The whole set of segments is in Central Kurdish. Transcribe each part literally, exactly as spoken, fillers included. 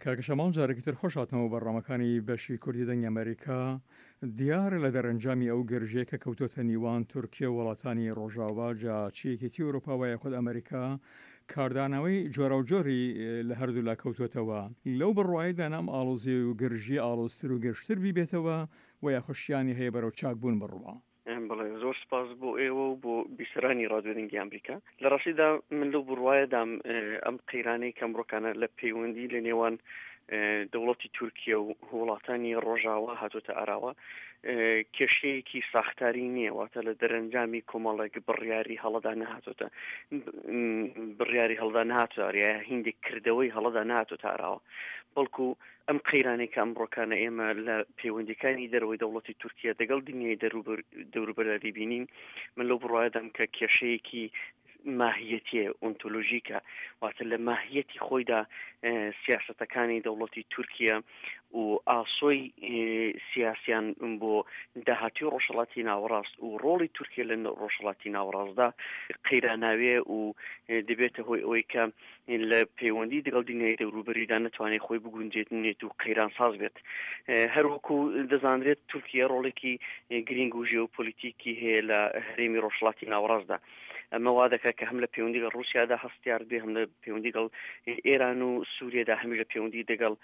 کاکە شەماڵ جارێکی تر خۆش هاتنەوە بەرنامەکانی بەشی کوردی دەنگی ئەمەریکا. دیارە لە دەرەنجامی ئەو گرژیە کە کەوتۆتە نیوان تورکیە و وڵاتانی ڕۆژاوا، جا چ یەکێتی ئەوروپا وە یاخود ئەمەریکا، کاردانەوەی جۆراوجۆری لە هەردوولا کەوتۆتەوە. لەو بڕوایەدان ئەم ئاڵۆزی و گرژیە ئاڵۆزتر و گرژتر بیبێتەوە وە یاخود شیانی هەیە بەرەو چاکبوون بڕوا؟ بەڵێ، زۆر سپاس بۆ ئێوە و بۆ بیسەرانی ڕادیۆ دەنگی ئەمریکا. لە ڕاستیدا من لەو بڕوایەدام ئەم قەیرانەی کە ئەمڕۆکانە لە پەیوەندی لە نێوان دەوڵەتی تورکیە و وڵاتانی ڕۆژاوا هاتۆتە ئاراوە کێشەیەکی ساختاری نییە، واتە لە دەرەنجامی کۆمەڵێک بڕیاری هەڵەدا نەهاتۆتە بڕیاری هەڵدا نەهاتۆتە هیندێک کردەوەی هەڵەدا نەهاتۆتە ئاراوە، بەڵکو ئەم قەیرانەی کە ئەمڕۆکانە ئێمە لە پەیوەندیەکانی دەرەوەی دەوڵەتی تورکیا دەگەڵ دنیای دەوروبەردا دەیبینین، من لەو بڕوایەدام کە کێشەیەکی ماهیەتیە، ئۆنتۆلۆژیکە، واتە لە ماهیەتی خۆیدا سیاسەتەکانی دەوڵەتی تورکیا و ئاسۆی سیاسیان بۆ داهاتوی ڕۆژهەڵاتی ناوەڕاست و ڕۆڵی تورکیا لە ڕۆژهەڵاتی ناوەڕاستدا قەیراناوێ و دەبێتە هۆی ئەوەی کە لە پەیوەندی دەگەڵ دنیای دەوروبەریدا نەتوانێت خۆی بگونجێنێت و قەیرانساز بێت. هەروەکو دەزانرێت تورکیا ڕۆڵێکی گرنگ و ژێوپۆلیتیکی هەیە لە هەرێمی ڕۆژهەڵاتی ناوەڕاستدا. ئەمە وا دەکات کە هەم لە پەیوەندی لەگەڵ ڕووسیادا هەستیار بێ، هەم لە پەیوەندی لەگەڵ ئێران و سووریەدا، هەمیش لە پەیوەندی دەگەڵ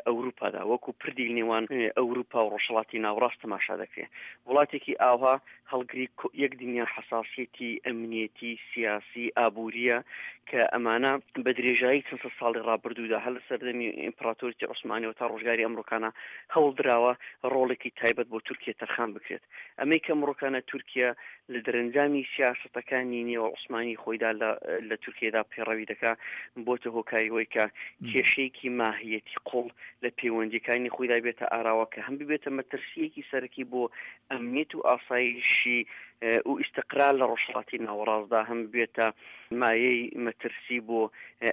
ئەوروپادا وەکو پردی نێوان ئەوروپا و ڕۆژهەڵاتی ناوەڕاست تەماشا دەکرێت. وڵاتێکی ئاوها هەڵگری یەک دنیا حەساسیەتی ئەمنیەتی سیاسی ئابووریە کە ئەمانە بە درێژایی چەند سەد ساڵی ڕابردوودا هەر لە سەردەمی ئیمپراتۆریەتی عوسمانیەوە تا ڕۆژگاری ئەمڕۆکانە هەوڵ دراوە ڕۆڵێکی تایبەت بۆ تورکیە تەرخان بکرێت. ئەمەی کە ئەمڕۆکانە تورکیە لە دەرەنجامی سیاسەتەکانی نێوە عوسمانی خۆیدا لە تورکیەدا پەیڕەوی دەکا، بۆتە هۆکاری ئەوەی کە کێشەیەکی ماهیەتی قوڵ لە پەیوەندیەکانی خۆیدا بێتە ئاراوە کە هەم ببێتە مەترسیەکی سەرەکی بۆ ئەمنیەت و ئاسایشی و ئیستقرار لە ڕۆژهەڵاتی ناوەڕاستدا، هەم بێتە مایەی مەترسی بۆ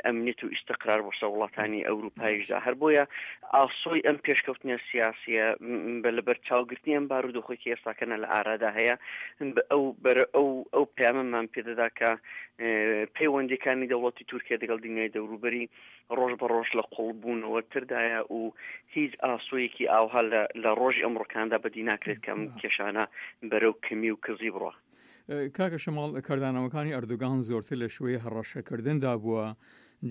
ئەمنیەت و ئیستقرار بۆ سەر وڵاتانی ئەوروپایشدا. هەر بۆیە ئاسۆی ئەم پێشکەوتنە سیاسیە بە لەبەرچاوگرتنی ئەم بارودۆخێکی ئێستاکەنە لە ئارادا هەیە، ئەو بەرە ئەو ئەو پەیامەمان پێدەدا کە پەیوەندیەکانی دەوڵەتی تورکیا دەگەڵ دنیای دەوروبەری ڕۆژ بە ڕۆژ لە قوڵبوونەوە تردایە و هیچ ئاسۆیەکی ئاوها لە ڕۆژی ئەمڕۆکاندا بەدی ناکرێت کە ئەم کێشانە بەرەو کەمی و کزی بڕە. کاکە شەماڵ، کاردانەوەکانی ئەردۆگان زۆرتر لە شوێی هەڕەشەکردندا بووە،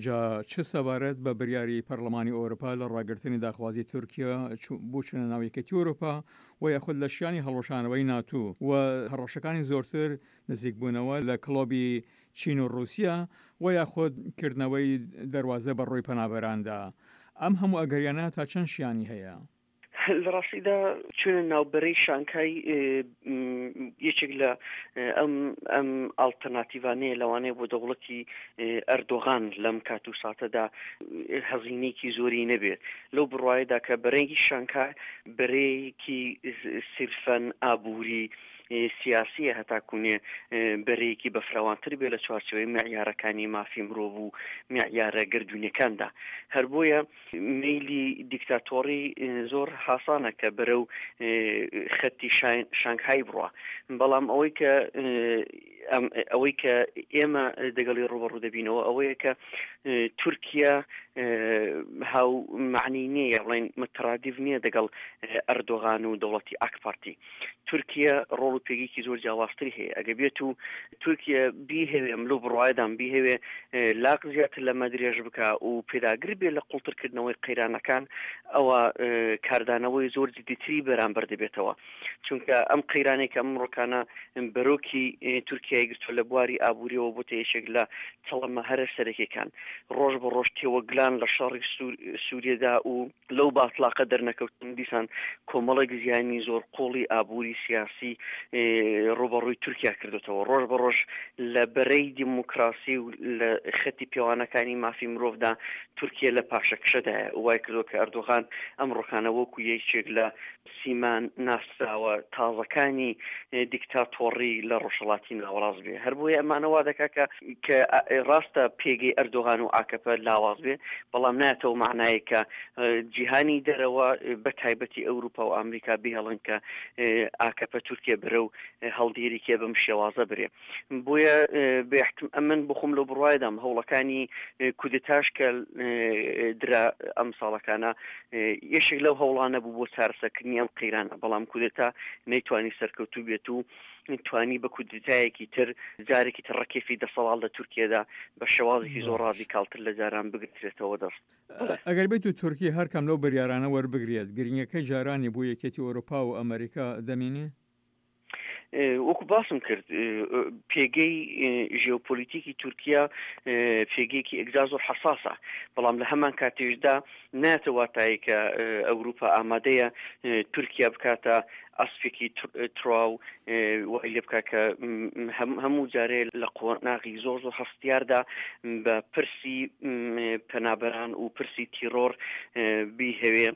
جا چ سەبارەت بە بریاری پەرلەمانی ئەوروپا لە ڕاگرتنی داخوازی تورکیا بۆ چوونە ناو یەکێتی ئەوروپا و یاخود لە شیانی هەڵوەشانەوەی ناتو و هەڕەشەکانی زۆرتر نزیکبوونەوە لە کڵۆبی چین و ڕووسیا و یاخود کردنەوەی دەروازە بە ڕووی پەنابەراندا، ئەم هەموو ئەگەریانە تا چەند شیانی هەیە؟ لە ڕاستیدا چوونە ناوبەرەی شانکای یەکێک لە ئەم ئەم ئاڵتەرناتیڤانەیە لەوانەیە بۆ دەوڵەتی ئەردۆغان لەم کات و ساتەدا هەزینەیەکی زۆری نەبێت، لەو بڕوایەدا کە بەرەی شانکای بەرەیەکی سیرفەن ئابووری سیاسیە هەتاکوونێ بەرەیەکی بەفراوانتر بێ لە چوارچێوەی معیارەکانی مافی مرۆڤ و معیارە گردونیەکاندا. هەر بۆیە مەیلی دیکتاتۆری زۆر حاسانە کە بەرەو خەتی شانگهای بڕە، بەڵام ئەوەی کە ئەوەی کە ئێمە دەگەڵی ڕوبەڕوو دەبینەوە ئەوەیە کە تورکیا هاو معنی نییە، بڵێن مترادیف نییە دەگەڵ ئەردۆغان و دەوڵەتی ئاک پارتی. تورکیا ڕۆڵ و پێگەیەکی زۆر جیاوازتری هەیە. ئەگە بێت و تورکیا بیهەوێ، ئەم لەو بڕوایەدام بیهەوێ لاق زیاتر لەمە درێژ بکە و پێداگر بێ لە قوڵترکردنەوەی قەیرانەکان، ئەوە کاردانەوەی زۆر جدیتری بەرامبەر دەبێتەوە. چونکە ئەم قەیرانێک کە ئەمڕۆکانە بەرۆکی تورکیای گرتووە لە بواری ئابووریەوە بۆتە یەکێک لە چەڵەمە هەرە سەرەکیەکان. ڕۆژ بە ڕۆژ تێوەگلان لە شەڕی سووریەدا و لەو باتلاقە دەرنەکەوتن دیسان کۆمەڵێک زیانی زۆر قوڵی ئابووری سیاسی ڕوبەڕووی تورکیا کردوتەوە. ڕۆژ بە ڕۆژ لە بەرەی دیموکراسی و لە خەتی پێوانەکانی مافی مرۆڤدا تورکیا لە پاشەکشەدایە. وای کردووە کە ئەردۆغان ئەمڕۆکانە وەکو یەکێک لە سیمان ناسراوە تازەکانی دیکتاتۆڕی لە ڕۆژهەڵاتی ناوەڕاست لاواز بێ. هەر بۆیە ئەمانە وا دەکا کە کە ڕاستە پێگەی ئەردۆغان و ئاکەپە لاواز بێ، بەڵام نایەتەوە معنایە کە جیهانی دەرەوە بە تایبەتی ئەوروپا و ئەمریکا بهێڵن کە ئاکەپە تورکیا بەرە و هەڵدێریکێ بەم شێوازە برێ. بۆیە بێحتم ئەمن بخۆم لەو بڕوایەدام هەوڵەکانی کودتاش کە درا ئەم ساڵەکانە یەشێک لەو هەوڵانە بوو بۆ چارەسەرکردنی ئەم قەیرانە، بەڵام کودتا نەیتوانی سەرکەوتوو بێت و توانی بە کودتایەکی تر جارێکی تر ڕکێفی دەسەڵات لە تورکیادا بە شێوازێکی زۆر ڕادیکاڵتر لە جاران بگرترێتەوە دەست. ئەگەر بێت و تورکی هەرکەم لەو بریارانە وەربگرێت، گرنگەکەی جارانی بۆ یەکێتی ئەوروپا و ئەمریکا دەمێنێ؟ وەکو باسم کرد پێگەی ژیۆپۆلیتیکی تورکیا پێگەیەکی ئەگزا زۆر حەساسە، بەڵام لە هەمان کاتیشدا ناتە واتایی کە ئەوروپا ئامادەیە تورکیا بکاتە ئەسپێکی تروا و وای لێ بکات کە هەموو جارێ لە قۆناغی زۆر زۆر هەستیاردا بە پرسی پەنابەران و پرسی تیرۆر بیهەوێ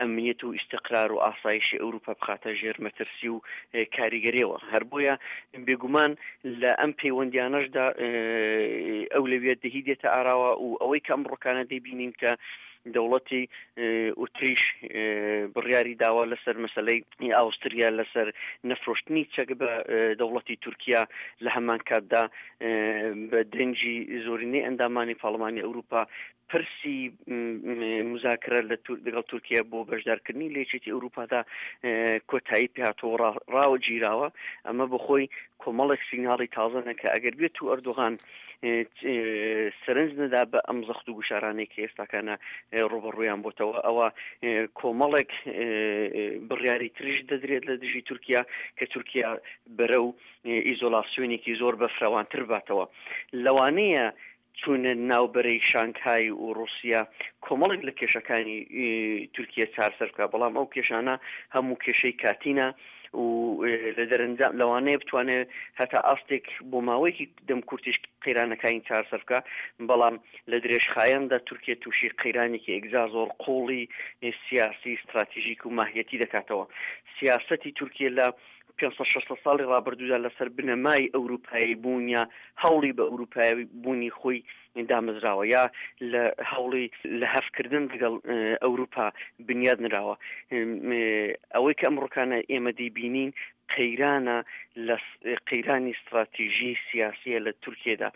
ئەمنیەت و ئیستقرار و ئاسایشی ئەوروپا بخاتە ژێر مەترسی و کاریگەریەوە. هەر بۆیە بێگومان لە ئەم پەیوەندیانەشدا ئەولەویەت دەهی دێتە ئاراوە و ئەوەی کە ئەمڕۆکانە دەیبینین کە دەوڵەتی ئوتریش بڕیاری داوا لەسەر مەسلەی ئاوستریا لەسەر نەفرۆشتنی چەک بە دەوڵەتی تورکیا، لە هەمان کاتدا بە دەنگی زۆرینەی ئەندامانی پەرلەمانی ئەوروپا پرسی مذاکرە لەگەڵ تورکیا بۆ بەشدارکردنی لە یەکێتی ئەوروپادا کۆتایی پێهاتەوە ڕاوە گیراوە. ئەمە بەخۆی کۆمەڵێک سیگناڵی تازەنە کە ئەگەر بێت و ئەردۆغان سەرنج نەدا بە ئەم زەخت و گوشارانەی کە ئێستاکانە ڕوبەڕوویان بۆتەوە، ئەوە کۆمەڵێک بڕیاری تریش دەدرێت لە دژی تورکیا کە تورکیا بەرەو ئیزۆلاسیۆنێکی زۆر بەفراوانتر باتەوە. لەوانەیە چوونە ناوبەرەی شانگهای و ڕوسیا کۆمەڵێک لە کێشەکانی تورکیا چارەسەر بکات، بەڵام ئەو کێشانە هەموو کێشەی کاتینە و لە دەرەنجام لەوانەیە بتوانێت هەتا ئاستێک بۆ ماوەیەکی دەمکورتیش قەیرانەکانی چارەسەر بکات، بەڵام لە درێژخایەندا تورکیا تووشی قەیرانێکی ئێگزا زۆر قوڵی سیاسی استراتیژیک و ماهیەتی دەکاتەوە. سیاسەتی تورکیا لە پێنج سەد شەست ساڵی ڕابردوودا لەسەر بنەمای ئەوروپایی بوون یا هەوڵی بە ئەوروپایی بوونی خۆی دامەزراوە یا لە هەوڵی لە هەفکردن لەگەڵ ئەوروپا بنیاد نراوە. ئەوەی کە ئەمڕۆکانە ئێمە دەیبینین قەیرانە لە قەیرانی استراتیژی سیاسیە لە تورکیادا.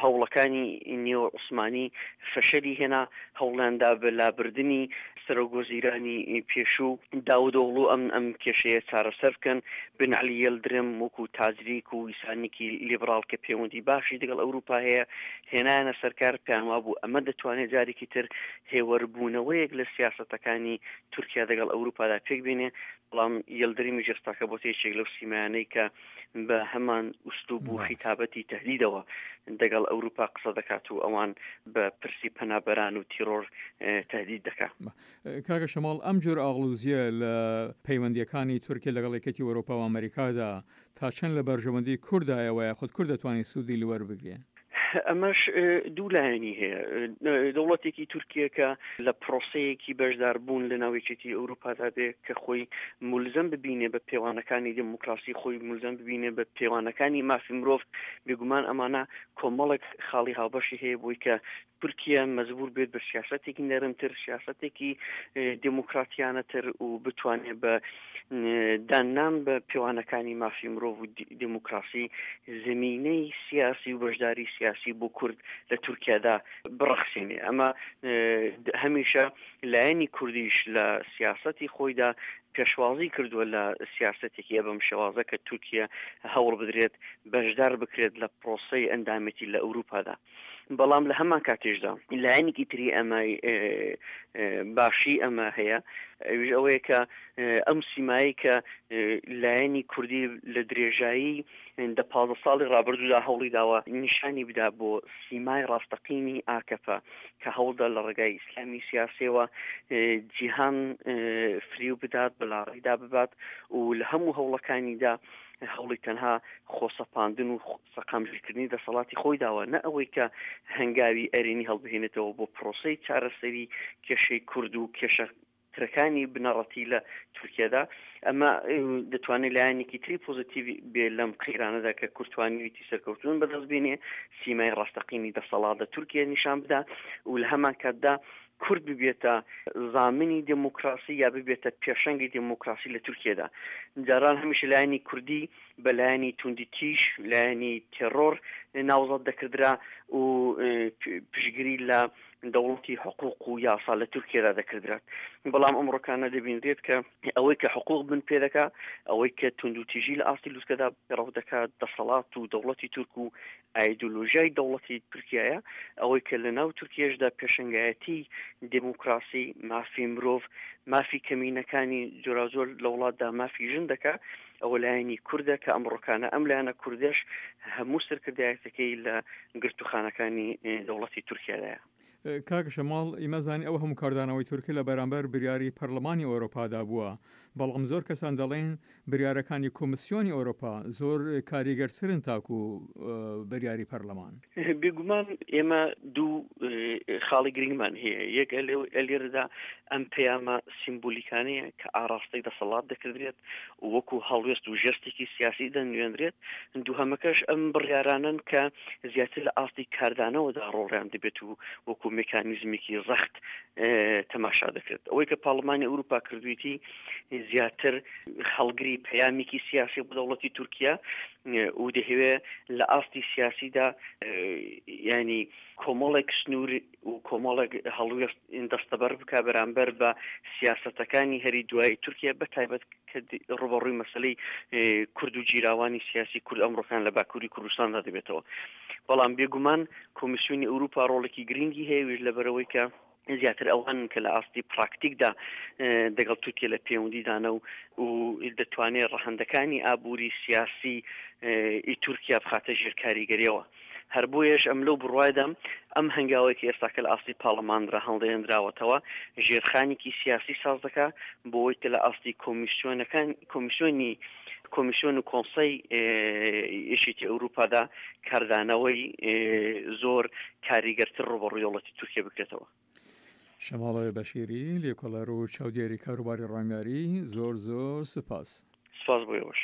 هەوڵەکانی نێو عوسمانی فەشەلی هێنا، هەوڵیاندا بە لابردنی سەرۆک وەزیرانی پێشوو داودئۆغڵو ئەم ئەم کێشەیە چارەسەر بکەن. بن عەلی یەلدرم وەکو تاجریک و ئیسانێکی لیبراڵ کە پەیوەندی باشی لەگەڵ ئەوروپا هەیە هێنایانە سەرکار، پێیان وابوو ئەمە دەتوانێت جارێکی تر هێوەربوونەوەیەک لە سیاسەتەکانی تورکیا لەگەڵ ئەوروپادا پێک بێنێ. بەڵام یەلدرمی جێستاکە بۆتە یەکێک لەو سیمایانەی کە بە هەمان ئوسلوب و خیتابەتی تەهدیدەوە دەگەڵ ئەوروپا قسە دەکات و ئەوان بە پرسی پەنابەران و تیرۆر تهدید دەکات. کاکە شەماڵ، ئەم جۆر ئاڵوزیە لە پەیوەندیەکانی تورکیا لەگەڵ یەکێتی ئەوروپا و ئەمریکادا تا چەند لە بەرژەوەندی کوردایە و یاخود کورد دەتوانێت سوودی لەوەربگرێ؟ ئەمەش دوو لایەنی هەیە. دەوڵەتێکی تورکیە کە لە پرۆسەیەکی بەشداربوون لە ناو یەکێتی ئەوروپادا بێ کە خۆی مولزەم ببینێ بە پێوانەکانی دێموکراسی، خۆی مولزەم ببینێ بە پێوانەکانی مافی مرۆڤ، بێگومان ئەمانە کۆمەڵێک خاڵی هاوبەشی هەیە بۆی کە تورکیا مەجبور بێت بە سیاسەتێکی نەرمتر، سیاسەتێکی دێموکراتیانەتر و بتوانێت بە داننان بە پێوانەکانی مافی مرۆڤ و دێموکراسی زمینەی سیاسی و بەشداری سیاسی بۆ کورد لە تورکیادا بڕەخسێنێ. ئەمە هەمیشە لایەنی کوردیش لە سیاسەتی خۆیدا پێشوازی کردووە لە سیاسەتێکی ئەبەم شێوازە کە تورکیا هەوڵ بدرێت بەشدار بکرێت لە پرۆسەی ئەندامێتی لە ئەوروپادا. بەڵام لە هەمان کاتێشدا لایەنێکی تری ئەمە باشی ئەمە هەیە، ئەویش ئەوەیە کە ئەم سیمایی کە لایەنی کوردی لە درێژایی دە پازدە ساڵی ڕابردوودا هەوڵی داوە نیشانی بدا بۆ سیمای ڕاستەقینی ئاکەپە کە هەوڵدا لە ڕێگای ئیسلامی سیاسیەوە جیهان فریو بدات، بەلاڕێدا ببات و لە هەموو هەوڵەکانیدا هەوڵی تەنها خۆسەپاندن و سەقامگیرکردنی دەسەڵاتی خۆی داوە، نە ئەوەی کە هەنگاوی ئەرێنی هەڵبهێنێتەوە بۆ پرۆسەی چارەسەری کێشەی کورد و کێشە ترەکانی بنەڕەتی لە تورکیادا. ئەمە دەتوانێت لایەنێکی تری پۆزیتیڤ بێ لەم قەیرانەدا کە کورد توانیویەتی سەرکەوتون بەدەست بێنێ، سیمای ڕاستەقینی دەسەڵات لە تورکیا نیشان بدا و لە هەمان کاتدا کورد ببێتە زامنی دێموکراسی یا ببێتە پێشەنگی دێموکراسی لە تورکیادا. جاران هەمیشە لایەنی کوردی بە لایەنی توندی تیژ، لایەنی تێڕۆر ناوزەد دەکردرا و پشتگیری لە دەوڵەتی حقوق و یاسا لە تورکیادا دەکردرات. بەڵام ئەمڕۆکانە دەبینرێت کە ئەوەی کە حقوق بن پێ دەکا، ئەوەی کە توندوتیژی لە ئاستی لوتکەدا پەیڕەو دەکات، دەسەڵات و دەوڵەتی تورک و ئایدۆلۆژیای دەوڵەتی تورکیایە، ئەوەی کە لە ناو تورکیەشدا پێشەنگایەتی دێموکراسی، مافی مرۆڤ، مافی کەمینەکانی جۆراوجۆر لە وڵاتدا، مافی ژن دەکا، ئەوە لایەنی کوردە کە ئەمڕۆکانە ئەم لایەنە کوردەش هەموو سەرکردایەتەکەی لە گرتوخانەکانی دەوڵەتی تورکیادایە. کاک شەماڵ، ئیمە زانین ئەو هەموو کاردانەوەی تورکیا لە بەرامبەر بریاری پەرلەمانی ئەوروپادا بووە، بەڵام زۆر کەسان دەڵێن بریارەکانی کۆمیسیۆنی ئەوروپا زۆر کاریگەرترن تاکو بریاری پەرلەمان. بێگومان ئێمە دوو خاڵی گرنگمان هەیە. یەک لێرەدا ئەم پەیامە سیمبولیکانەیە کە ئاراستەی دەسەڵات دەکردرێت وەکو هەڵوێست و ژێستێکی سیاسی دەنوێنرێت. دووهەمەکەش ئەم بڕیارانەن کە زیاتر لە ئاستی کاردانەوەدا ڕۆڵیان دەبێت و وەکو مێکانیزمێکی زەخت تەماشا دەکرێت. ئەوەی کە پارلمانی ئەوروپا کردوویەتی زیاتر هەڵگری پەیامێکی سیاسی بۆ دەوڵەتی تورکیا و دەهەوێ لە ئاستی سیاسیدا ینی کۆمەڵێک سنوور و کۆمەڵێک هەڵوێست دەستەبەر بک بەرامبەر بە سیاسەتەکانی هەری دوایی تورکیا، بە تایبەت کە ڕوبەڕووی مەسلەی کورد و جیراوانی سیاسی کورد ئەمڕۆکان لە باکووری کوردستاندا دەبێتەوە. بەڵام بێگومان کۆمیسیۆنی ئەوروپا ڕۆڵێکی گرنگی هەیە، ویش لەبەرەوەی کە زیاتر ئەوان کە لە ئاستی پراکتیکدا دەگەڵ تورکیا لە پەیوەندیدانە و دەتوانێت ڕەهەندەکانی ئابووری سیاسی ئی تورکیا بخاتە ژێر کاریگەریەوە. هەر بۆیەش ئەم لەو بڕوایدام ئەم هەنگاوەی کە ئێستاکە لە ئاستی پارلەماندا هەڵدێنراوەتەوە ژێرخانێکی سیاسی ساز دەکا بۆ ئەوەی کە لە ئاستی کۆمیسیۆنەکان کۆمیسیۆنی کۆمیسیۆن و کۆنسەی یەکێتی ئەوروپادا کاردانەوەی زۆر کاریگەرتر ڕوبەڕووی دەوڵەتی تورکیا بکرێتەوە. شەماڵە بەشیری، لێکۆڵەر و چاودێری کاروباری ڕامیاری، زۆر زۆر سپاس. سپاس بۆ ئێوەش.